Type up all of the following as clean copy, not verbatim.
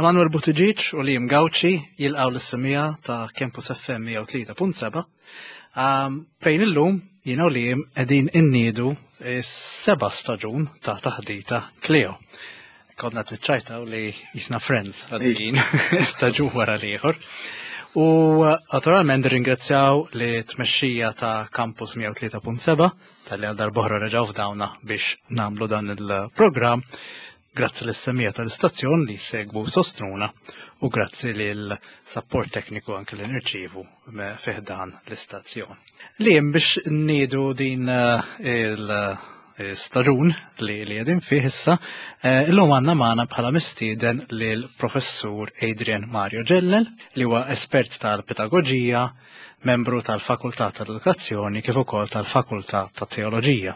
Manuel Buttigieg u Liam Gauci jilqgħu lis-semija ta' Campus FM 103.7 fejn illum jiena u Liam qegħdin inniedu s-seba' staġun ta' taħdita Cleo. Konna qed niċċajtaw li jisna friends għaddejjin staġun wara l-ieħor. U naturalment ringrazzjaw li tmexxija ta' Campus 103.7 tal-li għal darbohra reġgħu f'dawna biex namlu dan il-programm. Grazzi lis-semija tal-istazzjon li segwu sostruna u grazzi lil support tekniku anke li nirċievu fih dan l-istazzjon. Li biex niedu din eh, il-staġun li li qegħdin fih issa, eh, illum għandna magħna bħala mistieden lil professur Adrian Mario Ġellel li huwa espert tal-pedagoġija, membru tal-Fakultà tal-Edukazzjoni kif ukoll tal-Fakultà tat-Teoloġija.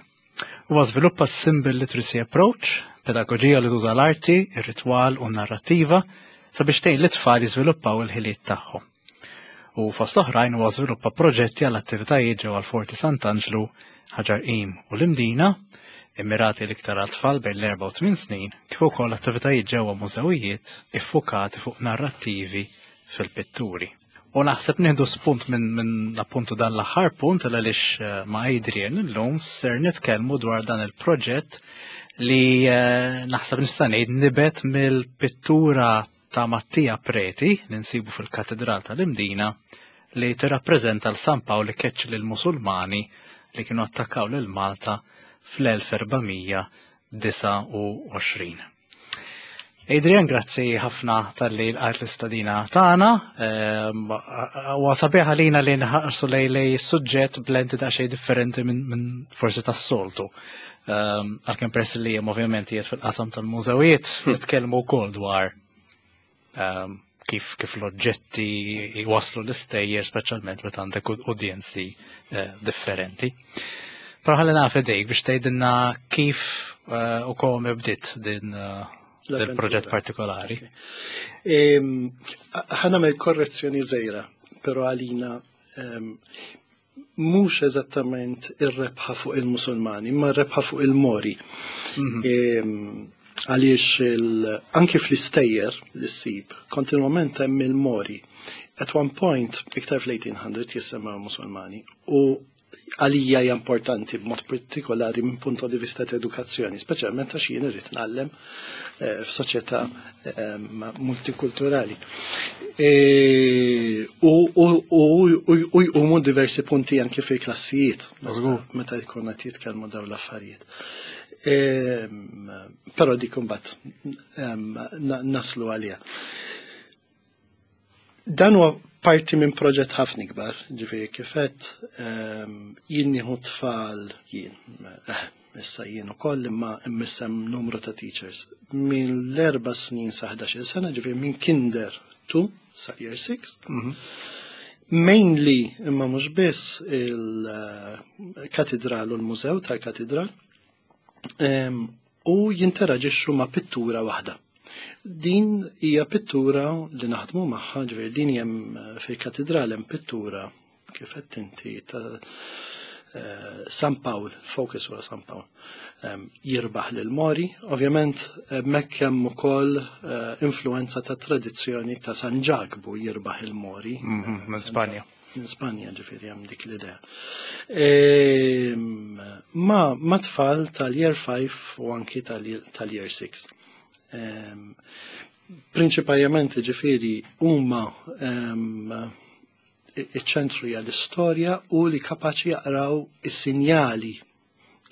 Huwa żviluppa s-Symbol Literacy Approach, pedagoġija li tuża l-arti, ir-ritwal u n-narrattiva sabiex tgħin lit-tfal jiżviluppaw il-ħiliet tagħhom. U fost oħrajn huwa żviluppa proġetti għal attivitajiet ġewwa l-Forti Sant'Anġlu, Ħaġar Qim u l-Imdina, immirati l-iktar għal tfal bejn l-erba' u tmien snin, kif ukoll attivitajiet ġewwa mużewijiet iffukati fuq narrattivi fil-pitturi. U naħseb nieħdu spunt minn min appuntu dan l-aħħar punt għaliex eh, ma' Adrian illum ser nitkellmu dwar dan il-proġett li eh, naħseb nista' ngħid nibet mill-pittura ta' Mattia Preti li nsibu fil-Katedral tal-Imdina li tirrappreżenta l San Pawl li keċċ lil Musulmani li kienu attakkaw lil Malta fl-1429. Adrian, grazzi ħafna tal-li l-għajt l-istadina tagħna. Ehm, u sabiħ għalina li nħarsu lej lej suġġett b'lenti daqsxejn differenti minn forsi tas-soltu. Ehm, għalkemm peress li jem ovvjament jiet fil-qasam tal-mużewijiet, nitkellmu wkoll dwar ehm, kif kif l-oġġetti jwaslu l-istejjer, speċjalment meta għandek udjenzi eh, differenti. Però ħalli naf idejk biex tgħidilna kif eh, u kom bdiet din eh, il-proġett partikolari. Ħa nagħmel korrezzjoni żgħira, però għalina mhux eżattament ir-rebħa fuq il-Musulmani, imma r-rebħa fuq il-Mori. Mhm. Għaliex anki fl-istejjer li ssib, kontinwament hemm il-Mori. At one point, iktar fl-1800 jissemmew Musulmani, u għalija hija importanti b'mod partikolari minn punto di vista ta' edukazzjoni, speċjalment għax jien irrid ngħallem eh, f'soċjetà eh, multikulturali. E, u jqumu diversi punti anke fil-klassijiet meta jkun qed jitkellmu dawn l-affarijiet. E, però dik imbagħad naslu għaliha. Dan huwa parti minn proġett ħafna ikbar, ġifieri kifet jien nieħu tfal jien, eh, issa jien ukoll imma immissem numru ta' teachers. Minn l-erba' snin sa 11 sena, ġifieri minn kinder 2 sa year 6. Mhm. Mainly, imma mhux biss il-katedral u l-mużew tal-katedral, u jinteraġixxu ma' pittura waħda. Din hija pittura li naħdmu magħha, ġifieri din hemm eh, fil-katedral hemm pittura kif qed inti ta' eh, San Pawl, focus huwa San Pawl, jirbaħ lil Mori. Ovvjament hemmhekk hemm ukoll eh, influenza ta' tradizzjoni ta' San Ġakbu jirbaħ il-Mori. Mhm, minn Spanja. Minn Spanja ġifieri hemm dik l-idea. Ehm, ma, ma tfal tal-year 5 u anki tal-year 6. Ehm, prinċipalment ġifieri huma ehm, iċ-ċentru hija l-istorja u li kapaċi jaqraw is-sinjali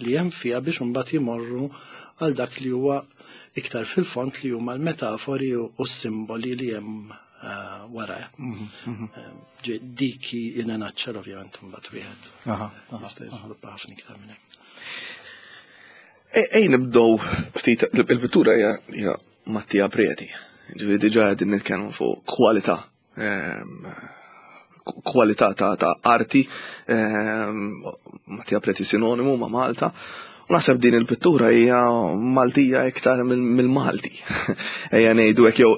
li hemm fiha biex imbagħad jimorru għal dak li huwa iktar fil-fond li huma l-metafori u s-simboli li hemm eh, wara. Mhm, mhm. Eh, diki in a nutshell ovvjament imbagħad wieħed. Jista' jiżviluppa ħafna iktar minn hekk. Ej nibdew ftit il-pittura hija Mattia Preti. Ġifieri diġà qegħdin nitkellmu fuq kwalità Ehm, kwalità ta', ta arti ehm, Mattia Preti sinonimu ma' Malta. U naħseb din il-pittura hija Maltija iktar mill-Malti. Ejja ngħidu hekk jew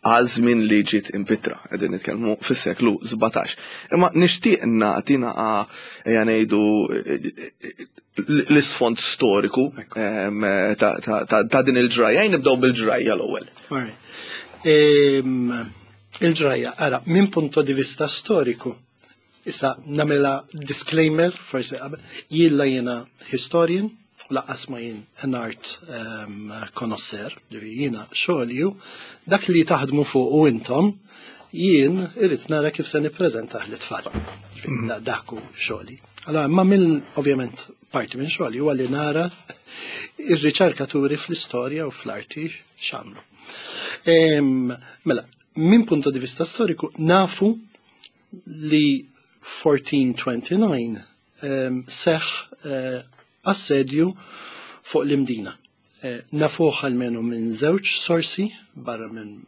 Għal żmien li ġiet impittra, qegħdin nitkellmu fis-seklu 17. Imma nixtieq nagħti naqa' ejja ngħidu l-isfond storiku ta' din il-ġrajja. Nibdew bil-ġrajja l-ewwel. Il-ġrajja, ara, minn punto di vista storiku, issa nagħmilha disclaimer, forsi qabel, jien la jiena historian, u laqqas ma jien an art connoisseur, ġifieri jiena xogħli hu dak li taħdmu fuq u intom, jien irrid nara kif se nippreżentah lit-tfal. Ġifieri dak hu xogħli. Allora, ma mill ovvjament parti minn xogħli huwa li nara ir-riċerkaturi fl-istorja u fl-arti x'għamlu. Mela, minn punto di vista storiku nafu li 1429 seħ assedju fuq l-Imdina. Nafuh almenu minn żewġ sorsi barra minn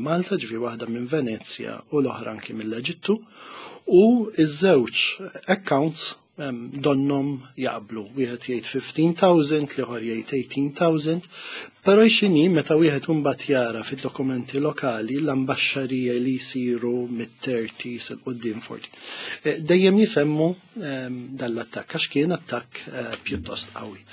Malta, ġifieri waħda minn Venezja u l-oħra anki mill-Eġittu, u iż-żewġ accounts donnom jaqblu. Wieħed jgħid 15,000, l-ieħor jgħid 18,000, però x'inhi meta wieħed imbagħad jara fid-dokumenti lokali l-ambaxxarija li jsiru mit-30s il quddiem 40. Dejjem jisemmu dan l-attakk għax kien attakk pjuttost qawwi.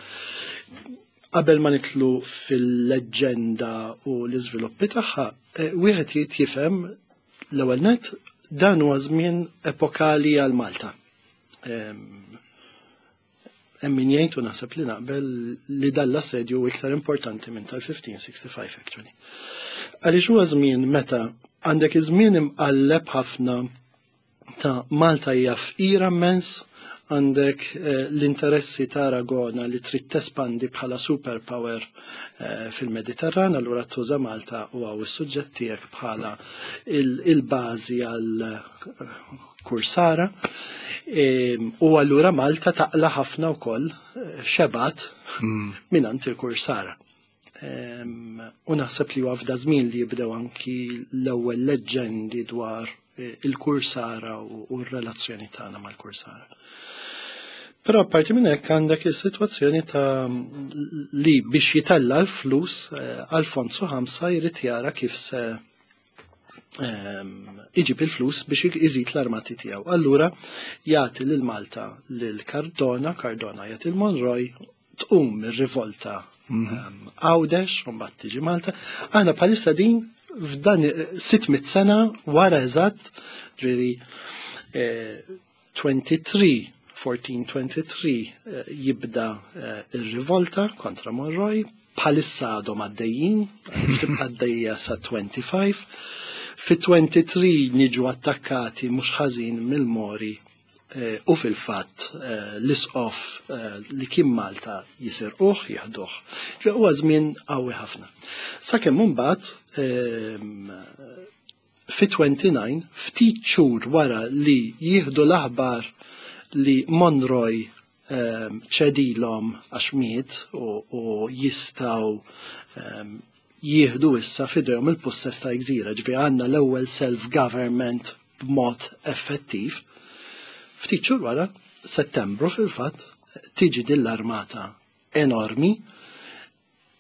Qabel ma nitlu fil-leġġenda u l-iżviluppi tagħha, wieħed jrid jifhem l-ewwel net dan huwa żmien epokali għal Malta. Hemm min jgħid u naħseb li naqbel li dan l-assedju huwa iktar importanti minn tal-1565 actually. Għaliex huwa żmien meta għandek iż-żmien imqalleb ħafna ta' Malta hija fqira immens, għandek l-interessi ta' Aragona li trid tespandi bħala superpower fil-Mediterran, allura tuża Malta u għaw is-suġġett tiegħek bħala il-bażi għal kursara. U allura Malta taqla ħafna wkoll xebat mingħand il-kursara. U naħseb li huwa f'da żmien li jibdew anki l-ewwel leġġendi dwar il-kursara u r-relazzjoni tagħna mal-kursara. Però apparti minn hekk għandek is-sitwazzjoni ta' li biex jitella l-flus Alfonso ħamsa jrid jara kif se iġib il-flus biex iżid l-armati tiegħu. Allura jagħti lil Malta lil Cardona, Cardona jagħti l Monroy, tqum ir-rivolta Għawdex, u mbagħad tiġi Malta. Aħna bħalissa din f'dan 600 sena wara eżatt, ġifieri 23, 1423 jibda ir-rivolta kontra Monroy, bħalissa għadhom għaddejjin, biex tibqa' għaddejja sa 25. Fi 23 niġu attakkati mhux ħażin mill-Mori u fil-fatt l-isqof li kien Malta jisirquh, jieħduh. Ġe huwa żmien qawwi ħafna. Sakemm imbagħad fi 29, ftit xhur wara li jieħdu l-aħbar li Monroy ċedilhom għax miet u jistgħu jieħdu issa f'idejhom il-pussess ta' gżira, ġifieri għandna l-ewwel self-government b'mod effettiv. Ftit xhur wara, Settembru fil-fatt, tiġi din l-armata enormi,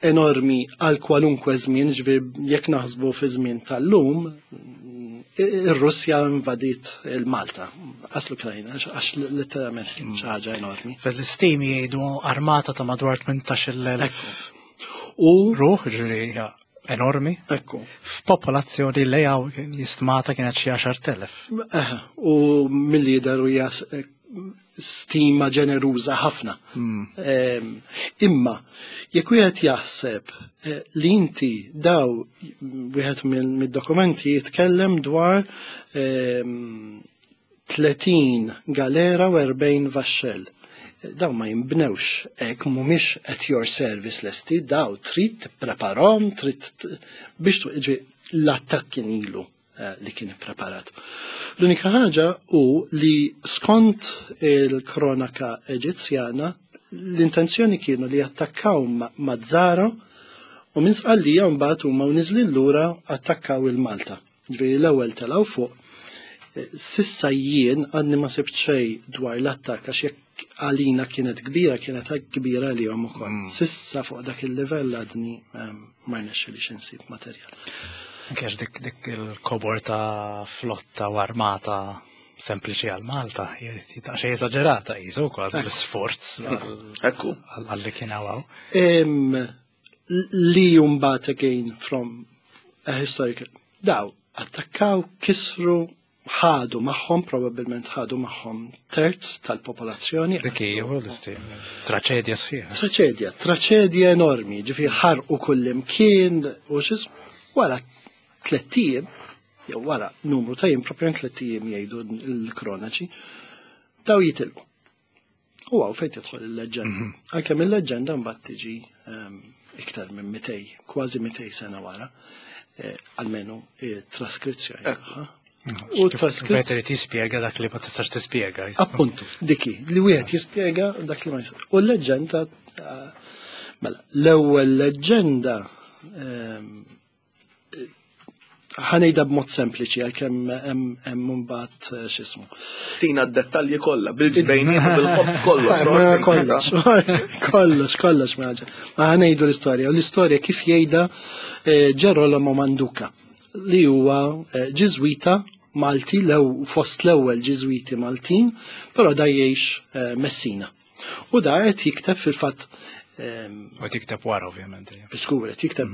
enormi għal kwalunkwe żmien, ġifieri jekk naħsbu fi żmien tal-lum, ir-Russja invadiet il-Malta, qas l-Ukrajna, għax letteralment kien xi ħaġa enormi. Fil-istimi jgħidu armata ta' madwar 18,000 U ruħ, ġifieri hija enormi. Ekku. F'popolazzjoni li hawn jistmata kienet xi 10,000. U mill-lider u hija stima ġeneruża ħafna. Imma jekk wieħed jaħseb li inti daw wieħed mid-dokumenti jitkellem dwar 30 galera u 40 vaxxell. Daw ma jinbnewx hekk, mhumiex at your service lesti, daw trid tippreparhom, trid biex ġi l-attakk kien ilu li kien ippreparat. L-unika ħaġa hu li skont il-kronaka Eġizzjana l-intenzjoni kienu li attakkaw Mazzara u minn Sqallija mbagħad huma u niżlin lura attakkaw il-Malta. Ġifieri l-ewwel telgħu fuq. Sissa jien għadni ma sibt xejn dwar l-attakk għax jekk għalina kienet kbira, kienet kbira għalihom ukoll. Sissa fuq dak il-livell għadni ma rnexxilix insib materjal. Anke għax dik dik il-kobor ta' flotta u armata sempliċi għal Malta, xej eżaġerata jisu kważi l-sforz Ekku. għal li kien hawn. Li mbagħad again from a historical. Daw, attakkaw, kisru, ħadu magħhom, probabbilment ħadu magħhom terz tal-popolazzjoni. Dik hija l-istil. Traċedja sħiħa. Traċedja, traċedja enormi, ġifieri ħarqu kullimkien u xis wara 3 ijiem, jew wara numru ta' jiem, propjament 3 ijiem jgħidu l-kronaċi, daw jitilqu. U hawn fejn tidħol il-leġenda. Għalkemm il-leġenda mbagħad tiġi iktar minn 200, kważi 200 sena wara, almenu traskrizzjoni tagħha. U traskrizzjoni. Better tispjega dak li ma tistax tispjega. Appuntu, diki, li wieħed jispjega dak li ma jistax. U l-leġenda, mela, l-ewwel leġenda ħa ngħidha b'mod sempliċi għalkemm hemm mbagħad x'ismu. Tina d-dettalji kollha, bil-ġbejniet u bil-ħoss kollox. Ma Kollox, kollox, kollox maġa. Ma ħa ngħidu l-istorja. U l-istorja kif jgħidha Gerolamo Manduca li huwa Ġiżwita Malti, lew fost l-ewwel Ġiżwiti Maltin, però da jgħix Messina. U da qed jikteb fil-fatt U tikteb wara ovvjament. Skur, qed jikteb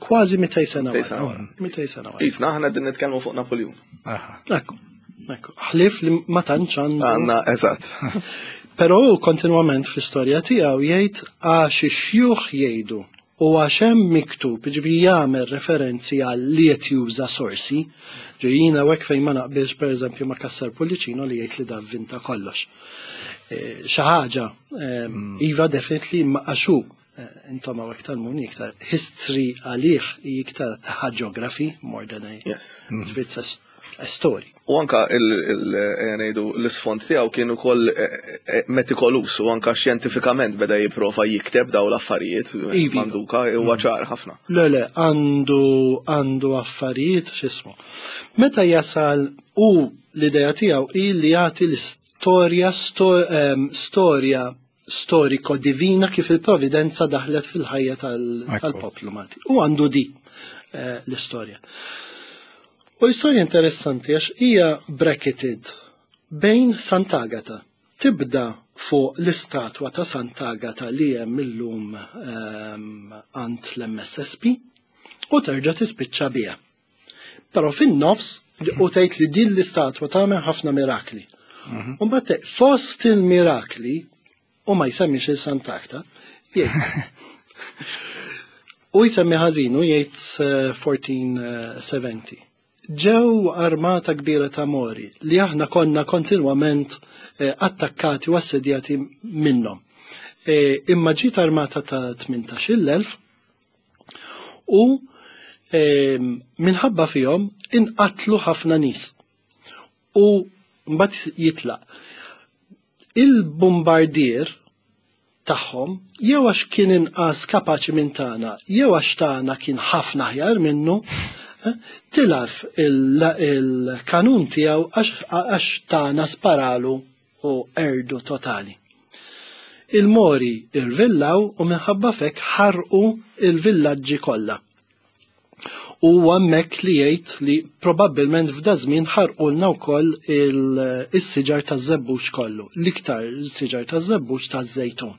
kważi 200 sena 200 sena wara. 200 sena wara. Isna aħna din nitkellmu fuq Napoleon. Ekku. Ħlief li ma tantx għandu. Għanna, eżatt. Però hu kontinwament fl-istorja tiegħu jgħid għax ix-xjuħ jgħidu u għax hemm miktub, ġifieri jagħmel referenzi għal li qed juża sorsi. Ġifieri jiena hekk fejn ma naqbilx, pereżempju, ma' Cassar Pullicino li jgħid li da vinta kollox. Xi ħaġa, iva, definitely, ma għaxu intom hawnhekk tal-muni iktar history għalih hi iktar hagiography more than a ġifieri it's a story. U anka ngħidu l-isfond tiegħu kien ukoll metikolus u anka xjentifikament beda jipprova jikteb daw l-affarijiet. Manduka huwa ċar ħafna. Le, għandu affarijiet x'ismu. Meta jasal u l-idea tiegħu hi li jagħti l-istorja storja storiko divina kif il-providenza daħlet fil-ħajja tal-poplu Malti. U għandu di l-istorja. U l-istorja interessanti għax hija bracketed bejn Sant'Agata. Tibda fuq l-istatwa ta' Sant'Agata li hemm illum għand l-MSSP u terġa' tispiċċa biha. Però fin-nofs u tgħid li din l-istatwa tagħmel ħafna mirakli. U mbagħad fost il-mirakli u ma jsemmix il-Sant'Agata, jgħid. U jsemmi ħażin u jgħid 1470. Ġew armata kbira ta' Mori li aħna konna kontinwament attakkati u assedjati minnhom. Imma ġiet armata ta' 18,000 u minħabba fihom inqatlu ħafna nies. U mbagħad jitlaq. Il-bombardier tagħhom jew għax kien inqas kapaċi minn tagħna, jew għax tagħna kien ħafna aħjar minnu, tilaf il-kanun tiegħu għax tagħna sparalu u erdu totali. Il-Mori irvillaw u minħabba fek ħarqu il-villaġġi kollha. U hemmhekk li jgħid li probabbilment f'da żmien ħarqulna wkoll is-siġar taż-żebbuġ kollu, l-iktar siġar taż-żebbuġ taż-żejtun.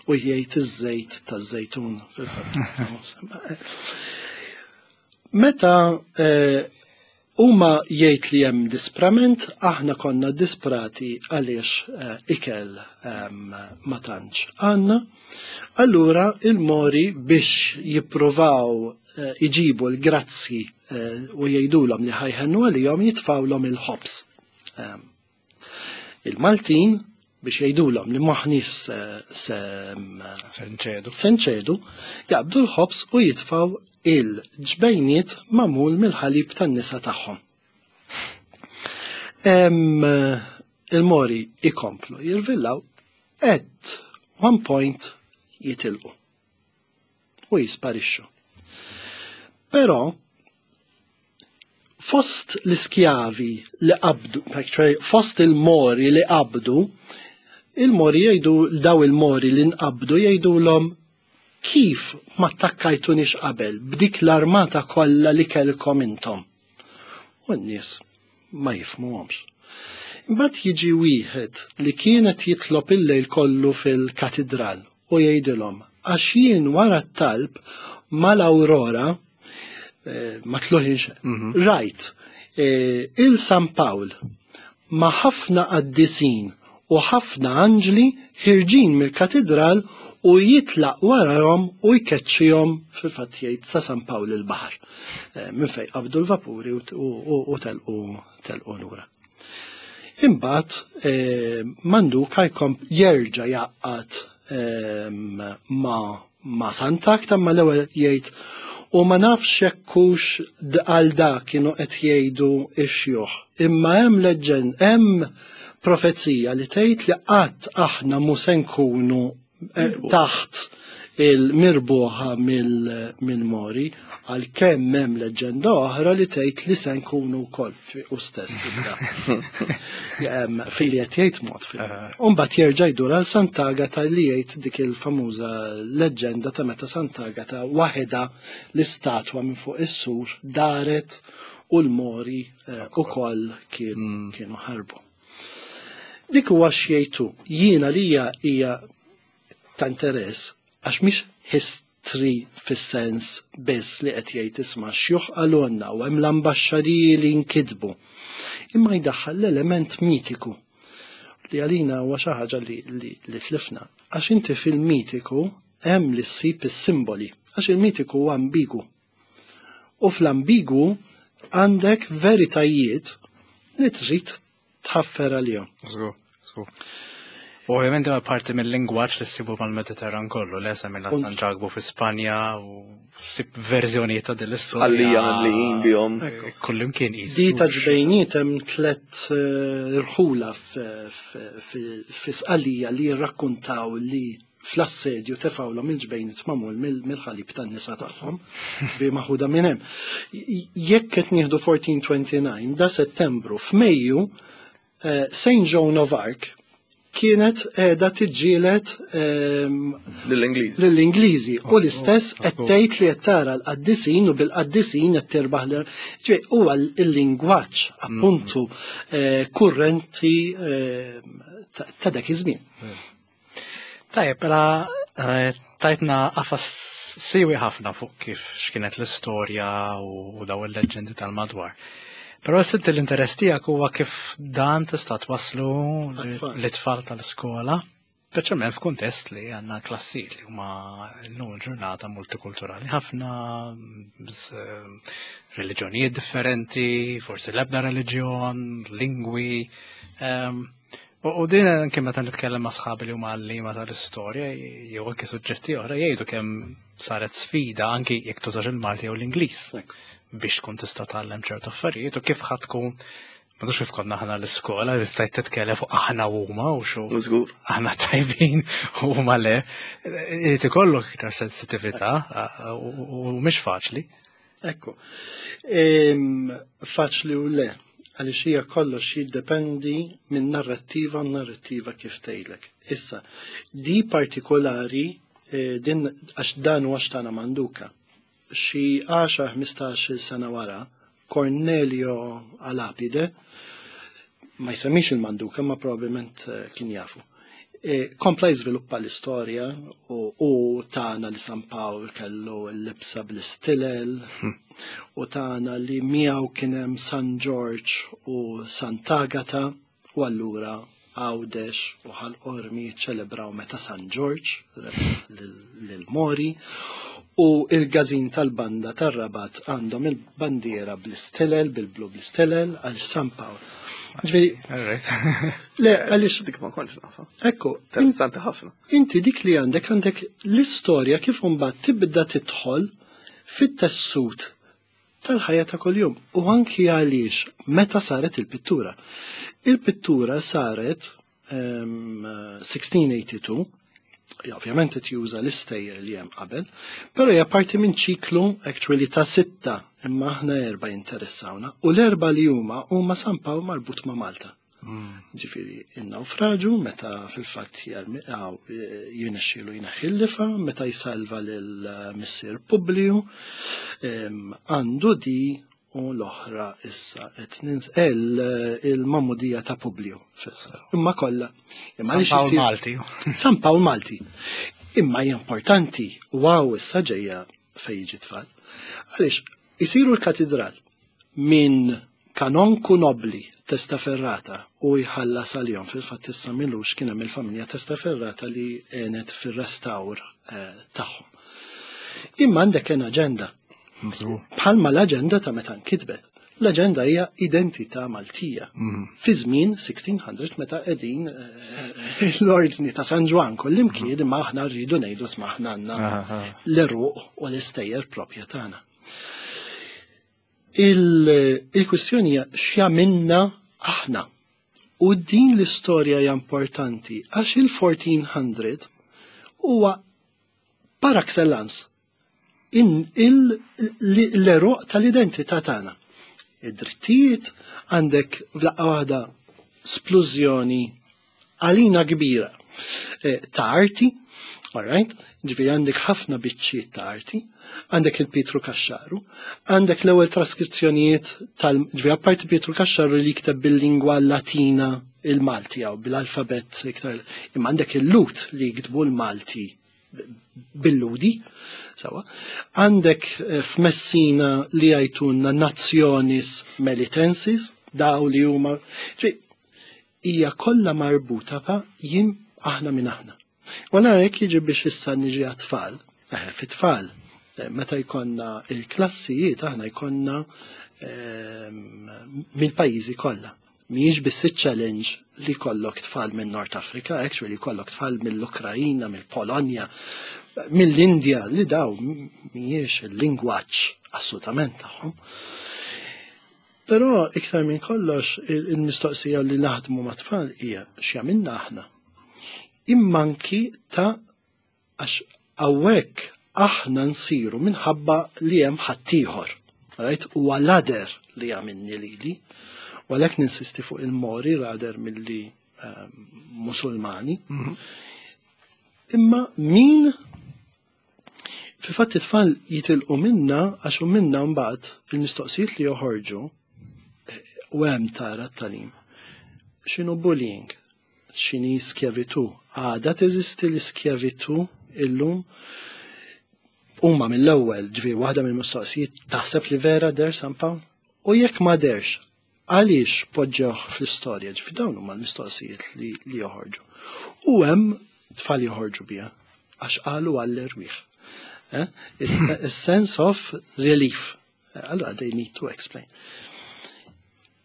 U jgħid iż-żejt taż-żejtun fil-fatt. Meta huma jgħid li hemm disprament, aħna konna disprati għaliex ikel ma tantx għandna. Allura il-Mori biex jippruvaw iġibu l-grazzi u jgħidulhom li ħa jħennu għalihom jitfawlhom il-ħobż. Il-Maltin biex jgħidulhom li m'aħniex se Se nċedu. se nċedu, jaqbdu l-ħobż u jitfaw il-ġbejniet magħmul mill-ħalib tan-nisa tagħhom. Il-Mori ikomplu jirvillaw at one point jitilqu u jisparixxu. Però fost l-iskjavi li qabdu, cioè fost il-Mori li qabdu, il-Mori jgħidu, daw il-Mori li nqabdu jgħidulhom. Kif ma attakkajtunix qabel b'dik l-armata kollha li kellkom intom? U n-nies ma jifhmuhomx. Imbagħad jiġi wieħed li kienet jitlob il-lejl kollu fil-katidral u jgħidilhom għax jien wara t-talb mal-Aurora ma tluħinx rajt il San Pawl ma' ħafna qaddisin u ħafna anġli ħirġin mill-katidral u jitlaq warahom u jkeċċihom fil-fatt jgħid sa San Pawl il-baħar. Minn fejn qabdu l-vapuri u telqu lura. Imbagħad Manduka jkom jerġa' jgħaqqad ma' Sant'Agata, ma l-ewwel jgħid u ma nafx jekk hux għal dak kienu qed jgħidu x-xjuħ. Imma hemm leġġend, hemm profezija li tgħid li qatt aħna mhu se nkunu taħt il-mirbuħa mill-Mori, għalkemm hemm leġġenda oħra li tgħid li se nkunu wkoll u stess. Fili qed jgħid mod fil. Imbagħad jerġa' jdur għal Sant'Agata li jgħid dik il-famuża leġġenda ta' meta Sant'Agata waħedha l-istatwa minn fuq is-sur daret u l-Mori ukoll kienu ħarbu. Dik huwa x'jgħidu. Jiena lija hija ta' interess għax mhix history fis-sens biss li qed jgħid isma' xjuħ qalulna u hemm l-ambaxxariji li nkitbu. Imma jdaħħal l-element mitiku li għalina huwa xi ħaġa li tlifna. Għax inti fil-mitiku hemm li ssib is-simboli, għax il-mitiku huwa ambigu. U fl-ambigu għandek veritajiet li trid tħaffer għalihom. Żgur, żgur. U ovvjament huwa parti mill-lingwaġġ li ssibu mal-Mediterran kollu, le semmejna San Ġakbu fi Spanja u ssib verżjonijiet ta' din l-istorja. Għalija li bihom. Kullimkien qis. Di ta' ġbejniet hemm tliet irħula fi Sqallija li jirrakkuntaw li fl-assedju tefgħulhom il-ġbejniet magħmul mill-ħalib tan-nisa tagħhom, vi maħuda minn hemm. Jekk qed nieħdu 1429, da Settembru, f'Mejju, Saint Joan of Arc kienet qiegħda tiġġieled lill-Ingliżi. Lill-Ingliżi u l-istess qed tgħid li qed tara l-qaddisin u bil-qaddisin qed tirbaħ l Ġifieri huwa l-lingwaġġ appuntu kurrenti ta' dak iż-żmien. Tajjeb, mela tajtna qafas siwi ħafna fuq kif x'kienet l-istorja u daw il-leġġendi tal-madwar. Però sibt l-interess tiegħek huwa kif dan tista' twasslu l-itfal tal-iskola, speċjalment f'kuntest li għandna klassijiet li huma llum il-ġurnata multikulturali ħafna, reliġjonijiet differenti, forsi l-ebda reliġjon, lingwi. U din anke meta nitkellem ma' sħabi li huma għalliema tal-istorja jew anke suġġetti oħra jgħidu kemm saret sfida anke jekk tużax il-Malti jew l-Ingliż biex tkun tista' tgħallem ċertu affarijiet u kif ħadd tkun ma tafx kif konna aħna l-iskola li stajt titkellem fuq aħna u huma u xu. Żgur. Aħna tajbin u huma le. Irid ikollok iktar sensitività u mhix faċli. Ekku. Faċli u le, għaliex hija kollox jiddependi minn narrattiva u narrattiva kif tgħidlek. Issa, di partikolari din għax dan huwa x'tana Manduka. Xi 10-15 sena wara, Cornelio Alapide, ma jsemmix il-Manduka, ma probabbilment kien jafu. Kompla jiżviluppa l-istorja u tana li San Pawl kellu l-libsa bl-istilel u tana li miegħu kien hemm San George u Sant'Agata u allura Għawdex u Ħal Qormi ċelebraw meta San George lil-Mori u il-gazin tal-banda tar-Rabat għandhom il-bandiera bl-istilel, bil-blu bl-istilel għal San Pawl. Ġifieri, le, għaliex dik ma kontx nafa. Ekku, Interessanti ħafna. Inti dik li għandek, għandek l-istorja kif imbagħad tibda tidħol fit-tessut tal-ħajja ta' kuljum u anki għaliex meta saret il-pittura. Il-pittura saret 1682, ovvjament qed juża l-istejjer li hemm qabel, però hija parti minn ċiklu actually ta' 6, imma aħna 4 jinteressawna, u l-4 li huma huma San Pawl marbut ma' Malta. Ġifieri in-nawfraġu meta fil-fatt jirnexxielu jneħħi l-lifa, meta jsalva lil missier Publiju, għandu di u l-oħra issa qed il-Magħmudija ta' Publiju fissa. Imma kollha. Imma San Pawl Malti. San Pawl Malti. Imma hija importanti wow issa ġejja fejn jiġi tfal. Għaliex isiru l-katedral minn kanonku nobli Testaferrata u jħallas għalihom fil-fatt issa milux kien hemm il-familja Testaferrata li għenet fir-restawr eh, tagħhom. Imma għandek kien aġenda. Bħalma l-aġenda ta' meta nkitbet. L-aġenda hija identità Maltija. Mm. Fi żmien 1600 meta qegħdin eh, l-ordni ta' San Ġwan kullimkien imma aħna rridu ngħidu smaħna għandna l-eruq u l-istejjer proprja tagħna. Il-kwistjoni hija x'jagħmilna aħna. U din l-istorja hija importanti għax il-1400 huwa par excellence l-eruq tal-identità tagħna. Id-drittijiet għandek f'daqqa waħda splużjoni għalina kbira eh, ta' arti, all right? Ġifieri għandek ħafna biċċiet ta' arti, għandek il-Pietru Kaxxaru, għandek l-ewwel traskrizzjonijiet tal ġifieri apparti Pietru Kaxxaru li jikteb bil-lingwa Latina il-Malti jew bil-alfabett iktar, imma għandek il-Lut li jiktbu l-Malti bil-Ludi, sawa. Għandek eh, f'Messina li jgħajtunna Nazzjonis Melitensis, daw li huma hija kollha marbuta pa jien aħna minn aħna. U għana jekk jiġi biex issa niġi għat-tfal, eh, fit-tfal, eh, meta jkollna il-klassijiet aħna jkollna ehm, mill-pajjiżi kollha. Mhijiex biss iċ-challenge li jkollok tfal minn North Africa, actually jkollok tfal mill-Ukrajina, mill-Polonja, mill-Indja, li daw mhijiex il-lingwaġġ assolutament tagħhom. Però iktar minn kollox il-mistoqsija li naħdmu ma' tfal hija x'jagħmilna aħna. Imma anki ta' għax hawnhekk aħna nsiru minħabba li hemm ħaddieħor. Right? Huwa l-other li jagħmilni lili. U għalhekk ninsisti fuq il-Mori rather milli ehm, Musulmani. Mhm. Imma min fil-fatt it-tfal jitilqu minna għax u minna mbagħad il-mistoqsijiet li joħorġu eh, u hemm tara t-talim. X'inhu bullying? X'inhi skjavitu? Għadha teżisti l-iskjavitu illum? Huma mill-ewwel, ġifieri waħda mill-mistoqsijiet taħseb li vera der San Pawl? U jekk ma derx, għaliex poġġewh fl-istorja? Ġifieri dawn huma l-mistoqsijiet li, li joħorġu. U hemm tfal joħorġu biha għax qalu għall-erwieħ. Eh? A sense of relief. Allora they need to explain.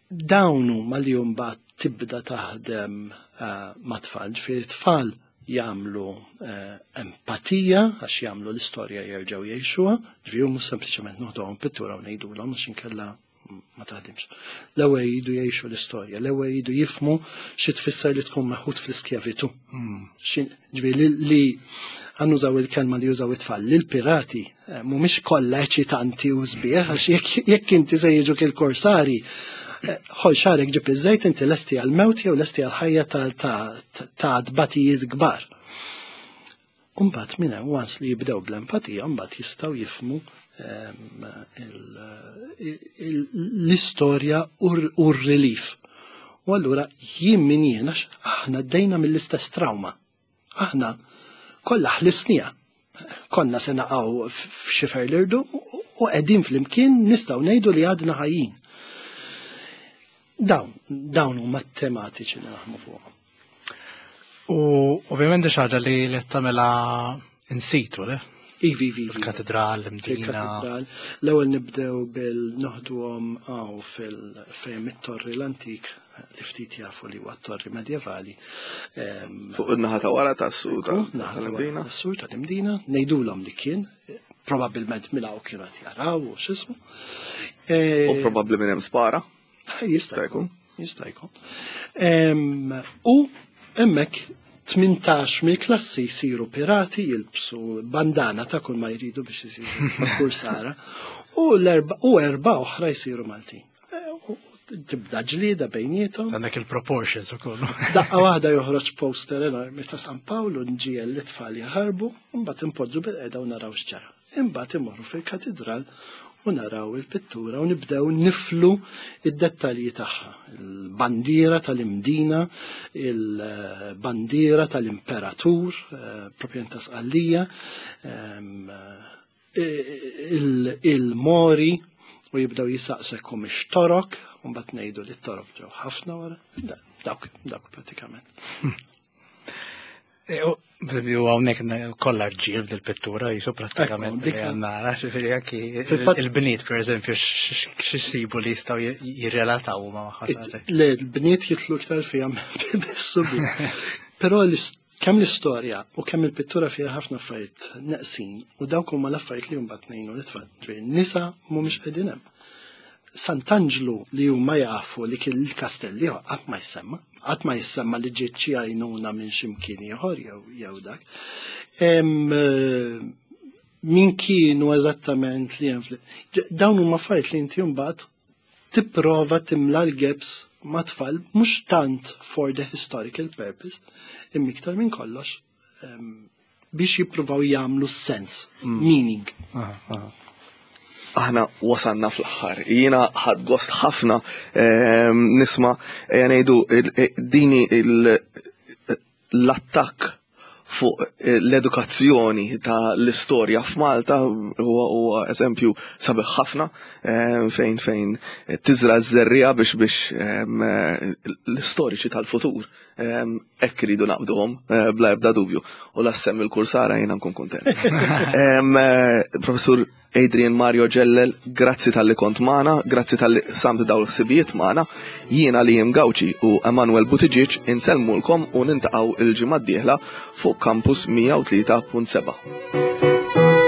Dawn huma li mbagħad tibda taħdem eh, ma' tfal, ġifieri tfal jagħmlu eh, empatija għax jagħmlu l-istorja jerġgħu jgħixuha, ġifieri mhux sempliċement noħduhom pittura u ngħidulhom għax inkella ma taħdimx. L-ewwel jridu jgħixu l-istorja, l-ewwel jridu jifmu xi tfisser li tkun meħud fl-iskjavitu. Hmm. Ġifieri li għannużaw il-kelma li jużaw it-tfal, li l-pirati eh, mhumiex kollha eċitanti u sbieħ, għax jekk inti se jiġuk il-korsari, eh, ħol xarek ġib iż-żejt inti lesti għal-mewt jew lesti għal-ħajja ta' tbatijiet kbar. Umbagħad minn hemm once li jibdew bl-empatija, mbagħad jistgħu jifmu ehm, l-istorja u r-relief. U allura jien min jien għax aħna ddejna mill-istess trauma. Aħna kollha ħlisnija. Konna se naqgħu f'xifer l-irdu u qegħdin flimkien nistgħu ngħidu li għadna ħajjin. Dawn, dawn huma tematiċi li naħmu fuqhom. U ovvjament xi ħaġa li li tagħmilha in situ, le? Ivi, ivi, ivi. Katedral, Mdina. Katedral. L-ewwel nibdew bil noħduhom għaw fil-fejn it-torri l-antik li ftit jafu li huwa torri medjevali. Fuq in-naħa ta' wara tas-sur tal-Imdina. Tas-sur tal-Imdina, ngħidulhom li kien, probabbilment minn hawn kienu qed jaraw u x'ismu. U probabbli minn hemm spara. Jista' jkun, jista' jkun. U hemmhekk 18 mill-klassi jsiru pirati jilbsu bandana ta' kull ma jridu biex jisiru kursara u l-erba u erba oħra jsiru Maltin. Tibda ġlieda bejniethom. Għandek il-proportions ukoll. Daqqa waħda joħroġ poster enormi ta' San Pawl u nġiegħel lit-tfal jaħarbu, mbagħad inpoġġu bil-qeda u naraw x'ġara. Imbagħad imorru fil-katidral u naraw il-pittura u nibdew niflu id-dettalji tagħha. Il-bandiera tal-Imdina, il-bandiera tal-Imperatur, eh, propjament ta' Sqallija, ehm, il-mori u jibdew jisaqsu jekk humiex torok, u mbagħad ngħidu li t-torok ġew ħafna wara. Dawk, dawk pratikament. E, u hawnhekk kollha rġiel dil-pittura jisu prattikament li nara, ġifieri anki il-bniet pereżempju x'isibu li jistgħu jirrelataw ma' magħha. Le, l-bniet jitlu iktar fiha bis-subi. Però kemm l-istorja u kemm il-pittura fiha ħafna affarijiet neqsin u dawk huma l-affarijiet li mbagħad ngħinu l-itfal. Ġifieri nisa mhumiex qegħdin hemm. Sant'Anġlu li huma jafu li kien il-kastell ieħor qatt ma jsemma, qatt ma jissemma li ġiet xi għajnuna minn xi mkien ieħor jew jew dak. Eh, min kienu eżattament li hemm dawn huma affarijiet li inti mbagħad tipprova timla l-gaps ma' tfal mhux tant for the historical purpose, imma iktar minn kollox biex jippruvaw jagħmlu sens, mm. meaning. Aħna wasanna fl-aħħar. Jiena ħadd gost ħafna nisma' ngħidu eh, dini l-attakk fuq eh, l-edukazzjoni ta' l-istorja f'Malta huwa eżempju sabiħ ħafna eh, fejn fejn tiżra ż-żerriegħa biex biex l-istoriċi tal-futur Hekk iridu naqbduhom eh, bla ebda dubju. U la semmi l-kursara jiena nkun kuntent. Eh, Professur Adrian Mario Ġellel, grazzi tal-li kont magħna, grazzi tal-li samt daw l-ħsibijiet magħna. Jiena li jim Gawċi u Emanuel Buttigieg insellmulkom u nintaqgħu il-ġimgħa d-dieħla fuq Campus 103.7.